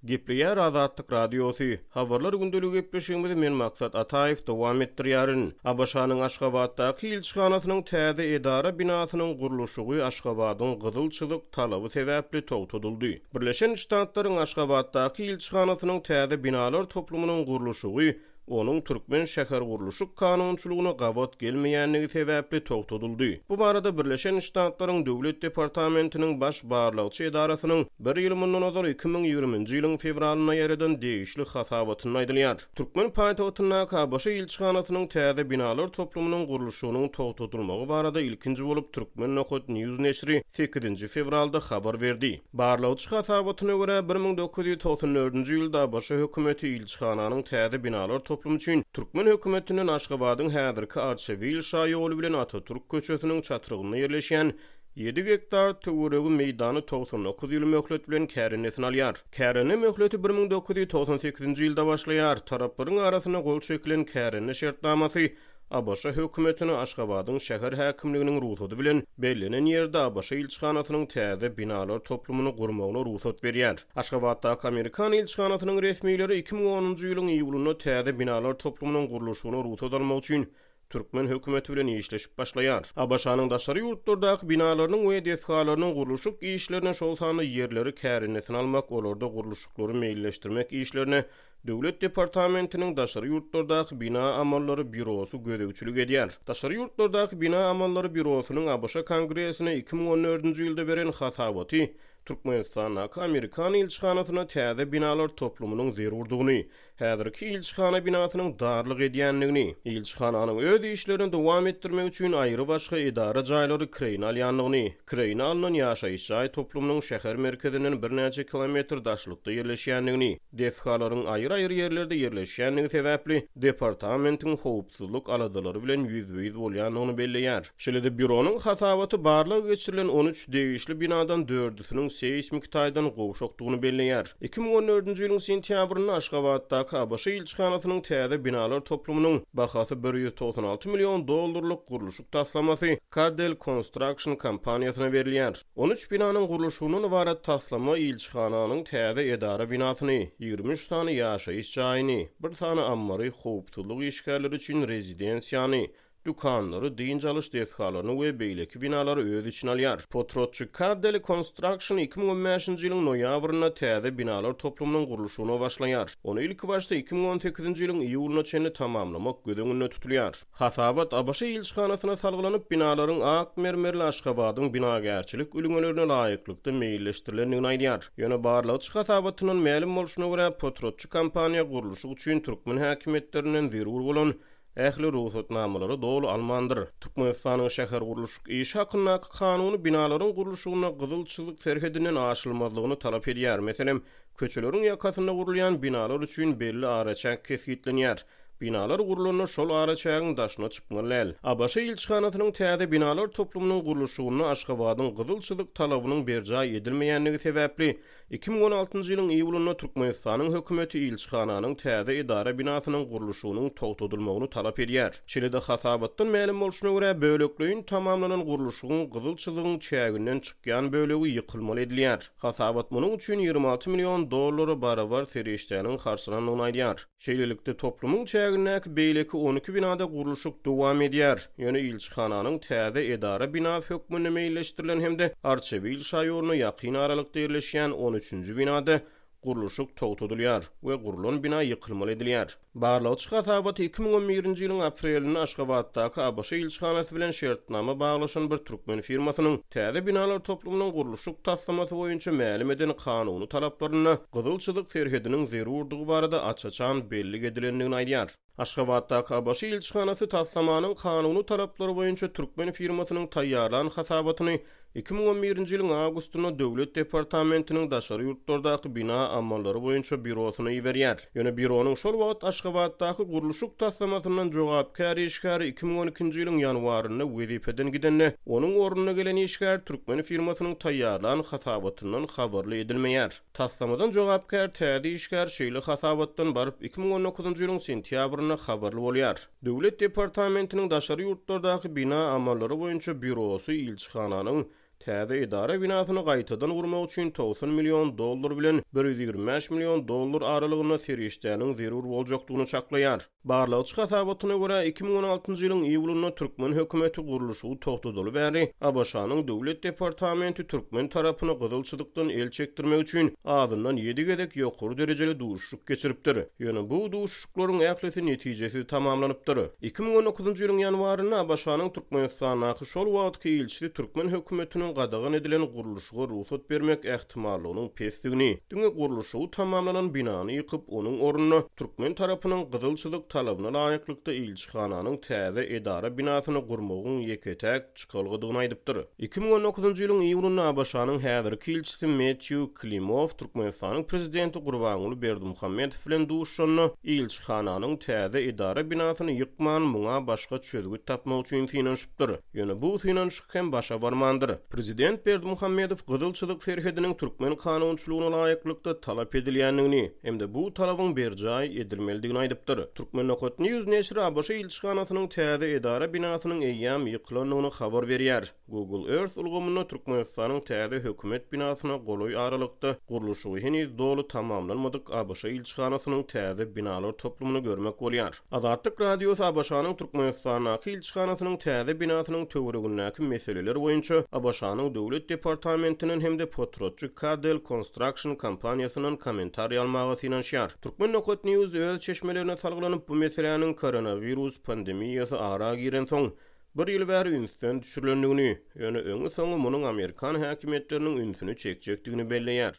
Gepleýär Azatlyk Radiosy. Habarlar gündeligi gepleşigimizi men Maksat Ataýew dowam etdirýärin. ABŞ-nyň Aşgabatdaky ilçihanasynyň täze edara binasynyň gurluşygy Aşgabadyň gyzyl çyzyk talaby sebäpli togtadyldy. Birleşen Ştatlaryň Aşgabatdaky ilçihanasynyň täze binalar toplumynyň gurluşygy onuň türkmen şähergurluşyk kanunçylygyna gabat gelmeýändigi sebäpli togtadyldy. Bu barada Birleşen Ştatlaryň Döwlet departamentiniň Baş barlagçy edarasynyň bir ýyl mundan ozal 2020-nji ýylyň fewralynda ýaýradan degişli hasabatynda aýdylýar. Türkmen paýtagtyndaky ABŞ ilçihanasynyň täze binalar toplumynyň gurluşygynyň togtadylmagy barada ilkinji bolup Turkmen. News neşiri sekizinji fewralda habar berdi. Barlagçy hasabatyna görä, 1994-nji ýylda ABŞ hökümeti ilçihananyň täze binalar toplumy üçin türkmen hökümetinden Aşgabadyň häzirki Arçabil şaýoly bilen Atatürk köçesiniň çatrygynda ýerleşýän ýedi gektar töweregi meýdany 99 ýyl möhlet bilen kärendesine alýar. Kärende möhleti 1998-nji ýylda başlaýar. Taraplaryň arasynda gol çekilen kärende şertnamasy ABŞ hökümetine Aşgabadyň şäher häkimliginiň rugsady bilen bellenen ýerde ABŞ ilçihanasynyň täze binalar toplumyny gurmagyna rugsat berýär. Aşgabatdaky amerikan ilçihanasynyň resmileri 2010-njy ýylyň iýulynda täze binalar toplumynyň gurluşygyna rugsat almak üçin türkmen hökümeti bilen işleşip başlaýar. ABŞ-nyň daşary ýurtlardaky binalarynyň we desgalarynyň gurluşyk işlerine, şol sanda ýerleri kärendesine almak, olarda gurluşyklary meýilleşdirmek işlerine Döwlet departamentiniň daşary ýurtlardaky bina amallary býurosy gözegçilik edýär. Daşary ýurtlardaky bina amallary býurosynyň ABŞ Kongresine 2014-nji ýylda beren hasabaty Türkmenistandaky amerikan ilçihanasyna täze binalar toplumynyň zerurdygyny, häzirki ilçihana binasynyň darlyk edýändigini, ilçihananyň öz işlerini dowam etdirmek üçin aýry-başga edara jaýlary kireýine alýandygyny, kireýine alnan ýaşaýyş jaý toplumynyň şäher merkezinden birnäçe kilometr daşlykda ýerleşýändigini, Desgalaryň aýry-aýry ýerlerde ýerleşýändigi sebäpli, departamentiň howpsuzlyk aladalary bilen ýüzbe-ýüz bolýandygyny belleýär. Şeýle-de býuronyň hasabaty barlag geçirilen 13 degişli binadan dördüsiniň seýsmiki taýdan gowşakdygyny belleýär. 2014-nji ýylyň sentýabrynda Aşgabatdaky ABŞ ilçihanasynyň täze binalar toplumynyň bahasy 196 million dollarlyk gurluşyk taslamasy Cadel Construction kompaniýasyna berilýär. 13 binanyň gurluşygyndan ybarat taslama ilçihananyň täze edara binasyny, 23 sany ýaşaýyş jaýyny, bir sany ammary, howpsuzlyk işgärleri üçin rezidensiýany, dükanlary, dynç alyş desgalaryny we beýleki binalary öz içine alýar. Potratçy Caddeli Construction 2015-nji ýylyň noýabrynda täze binalar toplumynyň gurluşygyna başlaýar. Ony ilkibaşda 2018-nji ýylyň iýulyna çenli tamamlamak göz öňünde tutulýar. Hasabat ABŞ ilçihanasyna salgylanyp, binalaryň ak mermerli Aşgabadyň binagärçilik ülňelerine laýyklykda meýilleşdirilendigini aýdýar. Ýöne barlagçy hasabatyndan mälim bolşuna görä, potratçy kompaniýa gurluşyk üçin türkmen häkimiýetlerinden zerur bolan ähli rugsatnamalary doly almandyr. Türkmenistanyň şähergurluşyk işi hakyndaky kanuny binalaryň gurluşygynda gyzyl çyzyk serhedinden aşylmazlygyny talap edýär. Meselem, köçeleriň ýakasynda gurulýan binalar üçin belli araçäk kesgitlenýär. Binalar gurlanda şol araçägiň daşyna çykmaly däl. ABŞ ilçihanasynyň täze binalar toplumynyň gurluşygynda Aşgabadyň gyzyl çyzyk talabynyň berjaý edilmeýändigi sebäpli, 2016-njy ýylyň iýulynda Türkmenistanyň hökümeti ilçihananyň täze edara binasynyň gurluşygynyň togtadylmagyny talap edýär. Şeýle-de hasabatdan mälim bolşuna görä, bölekleýin tamamlanan gurluşygyň gyzyl çyzygyň çäginden çykýan bölegi ýykylmaly edilýär. Hasabat munuň üçin 26 million dollara barabar serişdäniň harçlanandygyny aýdýar. Şeýlelikde, toplumyň çägindäki beýleki 12 binada gurluşyk dowam edýär. Ýöne ilçihananyň täze edara binasy hökmünde meýilleşdirilen hem-de Arçabil şaýoluna ýakyn aralykda ýerleşýän on üçünji binada gurluşyk togtadylýar we gurlan bina ýykylmaly edilýär. Barlagçy hasabaty 2011-nji ýylyň aprelinde Aşgabatdaky ABŞ ilçihanasy bilen şertnama baglaşan bir türkmen firmasynyň täze binalar toplumynyň gurluşyk taslamasy boýunça mälim eden kanuny talaplarynda gyzyl çyzyk serhediniň zerurdygy barada aç-açan bellik edilendigini aýdýar. Aşgabatdaky ABŞ ilçihanasy taslamanyň kanuny talaplary boýunça türkmen firmasynyň taýýarlan hasabatyny 2011-nji ýylyň awgustynda Döwlet departamentiniň daşary ýurtlardaky bina amallary boýunça býurosyna iberýär. Ýöne býuronyň şol wagt Aşgabatdaky gurluşyk taslamasyndan jogapkär işgäri 2012-nji ýylyň ýanwarynda wezipeden gidende, onuň ornuna gelen işgär türkmen firmasynyň taýýarlan hasabatyndan habarly edilmeýär. Taslamadan jogapkär täze işgär şeýle hasabatdan baryp 2019-njy ýylyň sentýabrynda habarly bolýar. Döwlet departamentiniň daşary ýurtlardaky bina amallary boýunça býurosy ilçihananyň. Täze edara binasyny gaýtadan gurmak üçin 90 million dollar bilen 125 million dollar aralygynda serişdäniň zerur boljakdygyny çaklaýar. Barlagçy hasabatyna görä, 2016-njy ýylyň iýulynda türkmen hökümeti gurluşygy togtadaly bäri ABŞ-nyň Döwlet departamenti türkmen tarapyny gyzyl çyzykdan el çekdirmek üçin azyndan ýedi gezek ýokary derejeli duşuşyk geçiripdir. Ýöne bu duşuşyklaryň ählisi netijesiz tamamlanypdyr. 2019-njy ýylyň ýanwarynda ABŞ-nyň Türkmenistandaky şol wagtky ilçisi türkmen hökümetiniň gadagan edilen gurluşyga rugsat bermek ähtimallygynyň pesdigini, diňe gurluşygy tamamlanan binany ýykyp, onuň ornuna türkmen tarapynyň gyzyl çyzyk talabyna laýyklykda ilçihananyň täze edara binasyny gurmagyň ýeke-täk çykalgadygyny aýdypdyr. 2019-njy ýylyň iýunynda ABŞ-nyň häzirki ilçisi Metýu Klimow Türkmenistanyň Prezidenti Gurbanguly Berdimuhamedow bilen duşuşanda, ilçihananyň täze edara binasyny ýykman, muňa başga çözgüt tapmak üçin synanyşypdyr. Ýöne bu synanyşyk hem başa barmandyr. Prezident Berdimuhamedow Gyzyl çyzyk serhediniň türkmen kanunçylygyna laýyklykda talap edilýändigini hem-de bu talabyň berjaý edilmelidigini aýdypdyr. Turkmennokat-News neşiri ABŞ ilçihanasynyň täze edara binasynyň eýýäm ýykylandygyny habar berýär. Google Earth ulgamynda Türkmenistanyň täze hökümet binasyna golaý aralykda gurluşygy heniz doly tamamlanmadyk ABŞ ilçihanasynyň täze binalar toplumyny görmek bolýar. Azatlyk Radiosy ABŞ-nyň Türkmenistandaky ilçihanasynyň täze binasynyň töweregindäki meseleler boýunça ABŞ-nyň Döwlet departamentinden hem-de potratçy Cadell Construction kompaniýasyndan kommentariý almaga synanyşýar. Turkmen.news öz çeşmelerine salgylanyp, bu meseläniň koronawirus pandemiýasy ara girensoň, bir ýyl bäri ünsden düşürilendigini, ýöne öňi-soňy munuň amerikan häkimiýetleriniň ünsüni çekjekdigini belleýär.